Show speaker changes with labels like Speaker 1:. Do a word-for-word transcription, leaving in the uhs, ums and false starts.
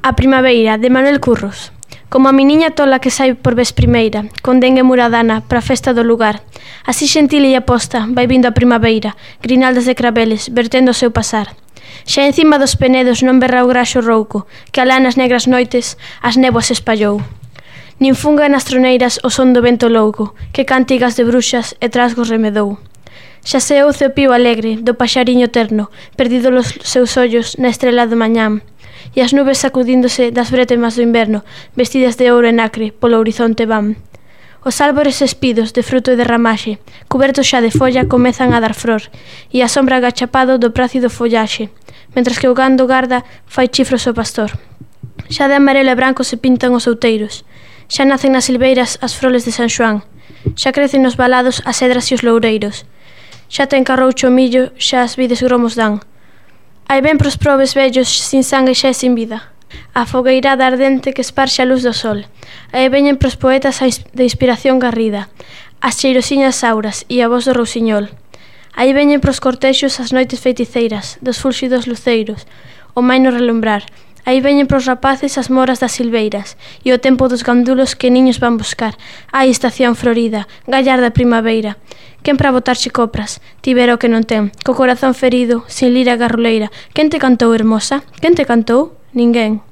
Speaker 1: A primavera, de Manuel Curros. Como a miniña tola que sai por vez primeira, con dengue muradana, pra festa do lugar. Así xentil e aposta, vai vindo a primavera, grinaldas de craveles, vertendo o seu pasar. Xa encima dos penedos non berra o graxo rouco, que alá nas negras noites as néboas espallou. Nin funga nas troneiras o son do vento louco, que cantigas de bruxas e trasgos remedou. Xa se ouce o pío alegre do paxariño terno, perdido los seus ollos na estrela do mañán, e as nubes sacudíndose das brétemas do inverno, vestidas de ouro e nacre, polo horizonte van. Os árbores espidos de fruto e de ramaxe, cubertos xa de folla, comezan a dar flor, e a sombra agachapado do prácido follaxe, mentras que o gando garda fai chifros ao pastor. Xa de amarelo e branco se pintan os outeiros, xa nacen nas silveiras as froles de San Xoán, xa crecen nos valados as cedras e os loureiros, xa ten carroucho o millo, xa as vides gromos dan. Aí ven pros probes vellos, sin sangue xa e sin vida, a fogueirada ardente que esparxe a luz do sol. Aí veñen pros poetas de inspiración garrida, as cheirosiñas auras e a voz do rousiñol. Aí veñen pros cortexos as noites feiticeiras, dos fúlxidos luceiros, o maino relumbrar. Aí veñen pros rapaces as moras das silveiras e o tempo dos gandulos que niños van buscar. Ai, estación florida, gallarda primaveira. Quen pra botarche copras, tivera o que non ten, co corazón ferido, sin lira garruleira. Quen te cantou, hermosa? Quen te cantou? Ninguén.